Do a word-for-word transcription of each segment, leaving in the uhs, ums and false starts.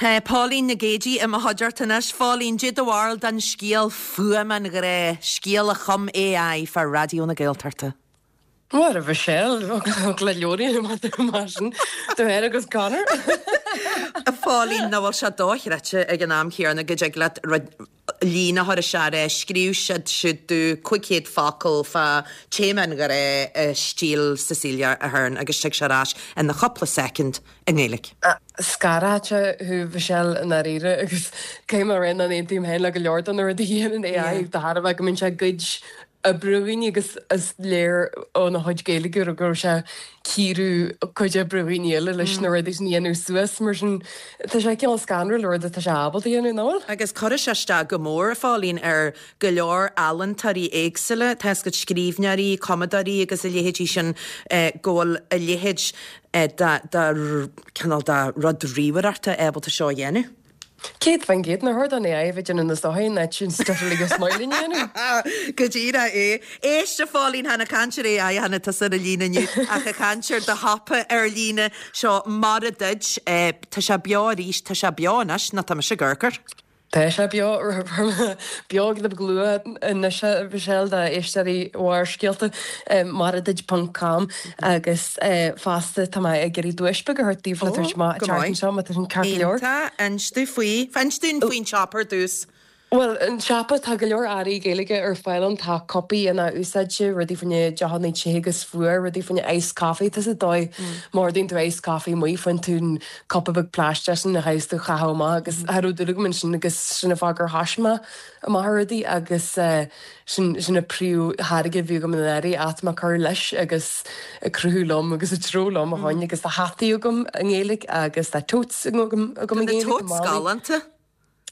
Tá Pauline Nic Géidigh i mo chuideachta anois Phauline cad é do bharúil den scéal Fuaim an Ghrá, scéal a chum AI fá Raidió na Gaeltachta. Mar a Michelle le leorí mar sin do héir agus Conor. A Phauline nach bhfuil sé dochreidte ag an am céanna go dtig leat líne a chur isteach é scríobh siad siúd duit cúig chéad focal fá téama an ghrá i stíl Cecilia Ahern agus tig sé ar ais ina chúpla soicind i nGaeilge. Scanraíonn thú Michelle i ndáiríre agus cé mar an aontaím féin le go leor de na rudaí a dhéanann AI de thairbhe go mbíonn sé ag goid oibre ó dhaoine agus is léir óna chuid Gaeilge go raibh sé ag cíoradh cuid oibre dhaoine eile leis na rudaí sin a dhéanamh suas mar sin tá sé cineál scanrúil rud atá sé ábalta a dhéanamh ná? Agus cuirfidh sé isteach go mór a Phauline ar go leor ealaíontóirí éagsúla, tá a gcuid scríbhneoirí, cumadóirí agus a leithéidí sin go bhfuil a leithéid de cineál de rud ríomhaireachta ábalta seo a dhéanamh. Céad faoin gcéad nár chóir don AI a bheith déanamh na sochaí in áit sin stuff uilig smiling dhéanamh. Go díreach é. Éist a Phauline chan ag caint ar AI cheana tusa ar líne inniu ach ag caint ar do shiopa ar líne seo mar a did tá sé beo arís tá sé beo anois nó tá mise ag amharc air. Tá sé beo beo le glua anois Michelle d'éisteoirí Bharrscéalta maraduit.com agus fosta tá mé ag iarraidh duais beag a thabhairt daoibh le tabhairt amach an tseachtain seo má tá sin ceart go leor. Iontach inis dúinn faoi inis dúinn faoin siopa ar dtús. Well an siopa tá go leor earraí Gaeilge ar fáil ann tá cupaí in-athúsáidte, rudaí fá choinne deochanna te agus fuar, rudaí fá choinne iced coffee tá sa dóigh má ordaíonn tú iced coffee amuigh faigheann tú an cupa beag plaisteach sin a chaithfidh tú a chaitheamh amach agus cha raibh dúil agam ansin agus sin an fáth gur thoisigh mé amach ar rudaí agus sin sin an príomhtháirge a bhí agam in áirithe ach tá mé ag cur leis agus ag cruthú liom agus ag treabhadh liom a choinne agus tá hataí agam i nGaeilge agus tá totes agam agam i Tá na nGaeilge totes galánta.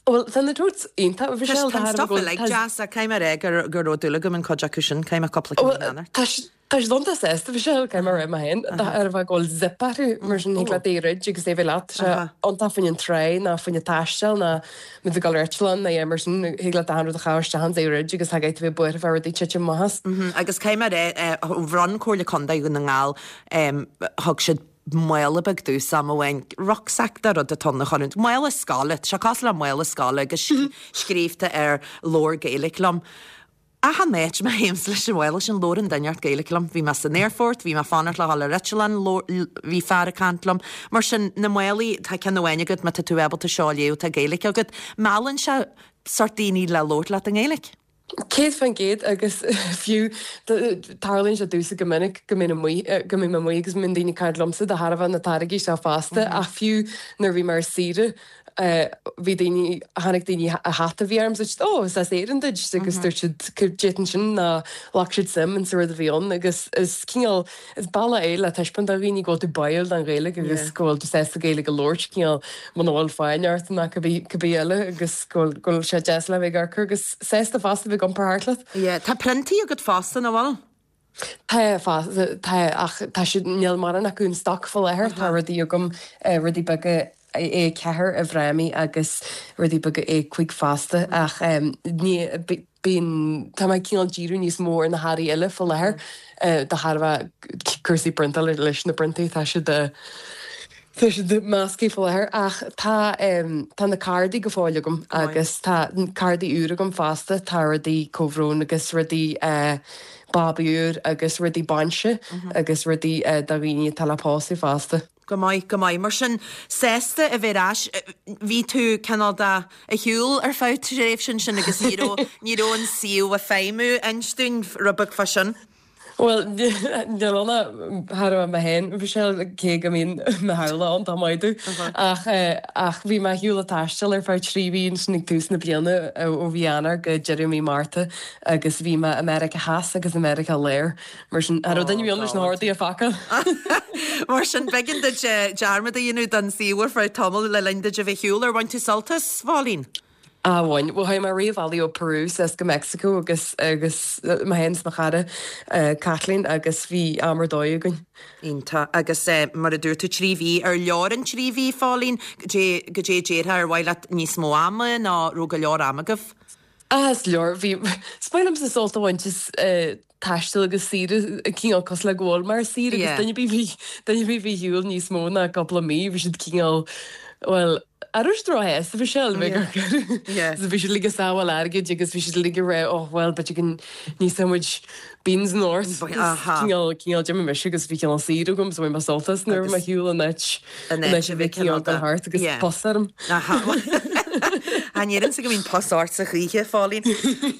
Well tá na totes iontach Michelle Tá stuff uilig deas a caithfidh mé a rá gur gur raibh dúil agam an chuid acu sin caithfidh mé cúpla ceann a dhéanamh. Tá tá siad iontach sásta Michelle caithfidh mé a rá mé féin ar a bheith go bhfuil zip orthu mar sin thig leat é a dhruid agus é bheith leat sé iontach fá choinne an trá ná fá choinne taisteal ná muid ag dul ar eitleán ná mar sin thig leat achan rud a chaitheamh isteach ann é a dhruid agus tá tú bheith buartha fá rudaí titim amach as. Agus caithfidh mé a rá bhronn Comhairle Contae Dhún na nGall thug siad mála beag domhsa am amháin rucksack de rud atá ann a chur mála scoile sé cosúil le mála scoile agus scríobhta air labhair Gaeilge liom. Achan áit má théim leis an mhála sin labhrann duine ort Gaeilge liom, bhí mé san aerfort, bhí mé fanacht le dhul ar eitleán bhí fear ag caint liom. Mar sin na málaí tá ceann amháin agat má tá tú ábalta seo a léamh tá Gaeilge agat, meallann sé sort daoine le labhairt leat i nGaeilge. Céad faoin gcéad agus fiú tarlaíonn sé domhsa go minic go mbím amuigh go mbím amuigh agus mbíonn daoine ag caint liomsa de thairbhe na táirgí seo fosta ach fiú nuair a bhí mé ar saoire bhí daoine tháinig daoine a hata a bhí orm dúirt ó is as Éirinn duit agus dúirt siad d'fhéadfainn sin ná ghlac siad suim in sa rud a bhí ann agus is cineál is bealach é le taispeáint do dhaoine go bhfuil tú báúil don Ghaeilge agus go bhfuil tú sásta Gaeilge a labhairt cineál muna bhfuil fonn ort ná cibé cibé eile agus go bhfuil go bhfuil sé deas le bheith ag amharc agus sásta fosta bheith ag iompar thart leat. Yeah, tá priontaí agat fosta nach bhfuil? Tá tá ach tá siad níl mórán acu in stoc faoi láthair tá rudaí agam rudaí beaga A ceathair i bhfrámaí agus rudaí beaga A cúig fosta ach ní bíonn tá mé cineál díriú níos mó ar na hearraí eile faoi láthair de thairbhe cúrsaí priontála leis na priontaí tá siad Tá siad measctha faoi láthair ach tá tá na cárdaí go fóill agam agus tá cárdaí úr agam fosta, tá rudaí comhbhrón agus rudaí babaí úr agus rudaí bainse agus rudaí do dhaoine atá le pósadh fosta. Go maith, go maith. Mar sin sásta a bheith ar ais, bhí tú cineál de ar shiúl ar feadh tréimhse sin agus ní raibh ní raibh an suíomh ag feidhmiú inis dúinn rud beag fá sin. Well níl ann thar a mé féin Michelle cé go mbíonn mo theaghlach ann tá maith dú ach ach bhí mé ar shiúl ag taisteal ar feadh trí mhí ansin ag tús na bliana ó mhí Eanáir go deireadh mí Márta agus bhí mé i Meiriceá Theas agus i Meiriceá Láir mar sin cha raibh duine ar bith ann leis na hordaí a phacáil. Mar sin b'éigean duit dearmad a dhéanamh den suíomh ar feadh tamaill le linn duit a bheith ar shiúl ar bhain tú sult as, Phauline? Á bhain, bhuel chuaigh mé réamhbhealaí ó Peru suas go Mexico agus agus mé féin is mo chara Kathleen agus bhí am ar dóigh againn. Iontach agus mar a dúirt tú trí mhí ar leor an trí mhí Phauline goidé goidé déarfá ar mhaith leat níos mó ama nó raibh go leor ama agaibh? Ah is leor bhí is maith liomsa sult a bhaint as taisteal agus saoire cineál cosúil le go bhfuil mé ar saoire agus duine ar bith bhí duine ar bith a bhí ar shiúl níos mó ná cúpla mí bhí siad cineál bhuel arís róshásta bhí sé Yeah. So bhí siad ag sábháil airgid agus bhí siad ag rá oh well but you can ní muid beans north Aha. cineál Jimmy mis agus bhí cineál saoire agam so bhain mé sult as nuair Agus- ma hiúil an áit An áit a bhí cineál gan thart agus Yeah. pus orm. Aha. An éan sa go mín pasáirt sa chuíche fálín.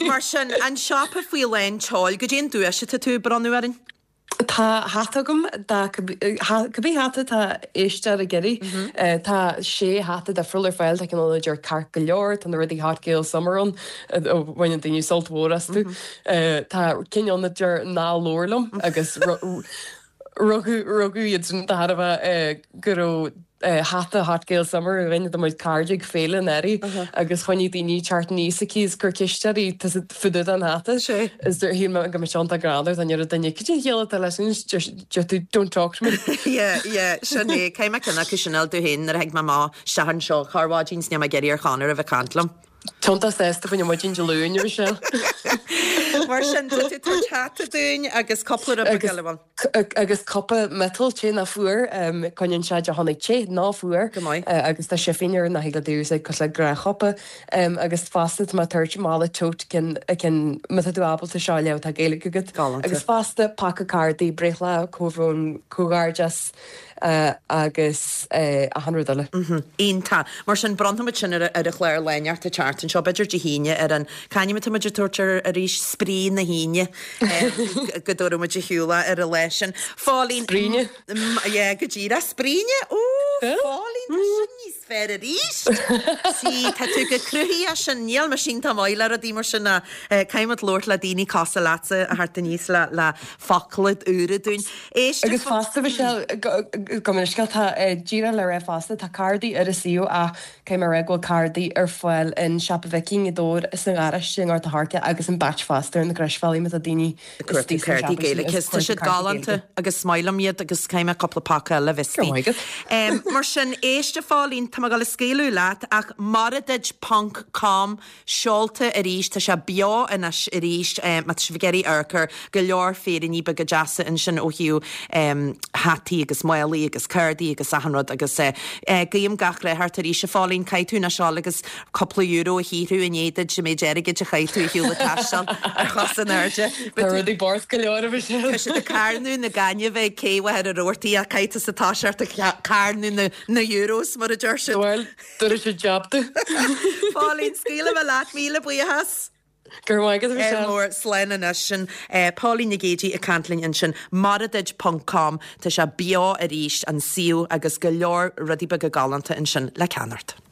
Mar sin an siopa Faoi Lán Tseoil goidé an duais atá tú ag bronnadh orainn? Tá hata agam dá cibé hata tá éisteoir ag iarraidh Tá sé hata difriúil ar fáil tá ceann a deir ceart go leor tá na rudaí Hot Gael Summer ann bhaineann daoine sult mhór astu. Tá ceann ann a deir ná labhair liom agus rugadh rugadh iad sin de thairbhe go raibh hata Hot Gael Summer a rinne muid cairde ag féile an earraigh agus choinnigh daoine teacht níos aici gur cisteirí fudú an hata Sé. Is dur hí go me seanta grádar an duine cad é chéile leis tú don't talk to me. Yeah, yeah, sin é céim cinna cu sinil tú héin ar ag má sean seo chuháidín sna géidir chanar a bheith caint liom. Tonta sesta fan muidin de luúin se. Mar sin tú hata dúinn agus cúpla rud Agus- eile. agus cupa miotail te ná fuar coinníonn sé do tháinig te ná fuar Go maith. agus tá sé féar na hiile dús ag cos le gnáthchupa agus fosta má tuirt mála tote cin cin má tú ábalta seo le tá Gaeilge agat Galánta. agus fosta paca cárdaí breithlá comhbhrón comhghairdeas agus achan rud eile. Iontach mar sin bronnfaimid sin ar ar a chlár léineart a teart an seo b'fhéidir Dé hAoine ar an cainim muid tuair arís spraoi na hAoine go dúmuid a hiúla ar a leis sin. Phauline Spraoine? Yeah, go dtí spraoine ó Phauline sin níos fearr arís. Sí tá tú go cruthí sin níl mar sin tá maile a dí mar sin na caiimid lort le daoine casa leatsa a thart níos le le focla úra dúinn. Éist Agus fosta bhí sé go scéal tá díreach le rá fosta tá cárdaí ar a suíomh a cé mar bhfuil cárdaí ar fáil in Siopa Viking i dóir is an garáiste in Ard Harca agus an batch fosta na Croisbhealaí tá daoine Cuartú cártaí Gaeilge Tá siad galánta agus smilam iad agus céime cúpla paca le Go maith agat. Um, mar sin éist a Phauline tá go le scaoileadh leat ach maradid ponc com seolta arís tá sé beo anois arís um, má tá sibh ag iarraidh amharc go leor féiríní beaga deasa ansin ó thaobh um, hataí agus málaí agus cárdaí agus achan rud agus uh, uh, guím gach rath ort arís a Phauline caithfidh tú na seo agus cúpla euro a shaothrú in éad sem méid airgid a chaith tú hiúla taisteal ar chos an airde. Tá rudaí bocht go leor a bhí sé. Tá siad ag carnadh na gainne bheith céhar a roirtaí a caiite sa tá seart a carnadh na, na euros mar a deir siad. Well, dúir sé jobta. Phauline scaoilim leat míle buíochas. Gur maith agat a bhí sé. mór slán anois sin Pauline Nic Géadaigh ag caint linn ansin maradid.com tá sé beo arís an suíomh agus go leor rudaí beaga galánta ansin le ceannacht.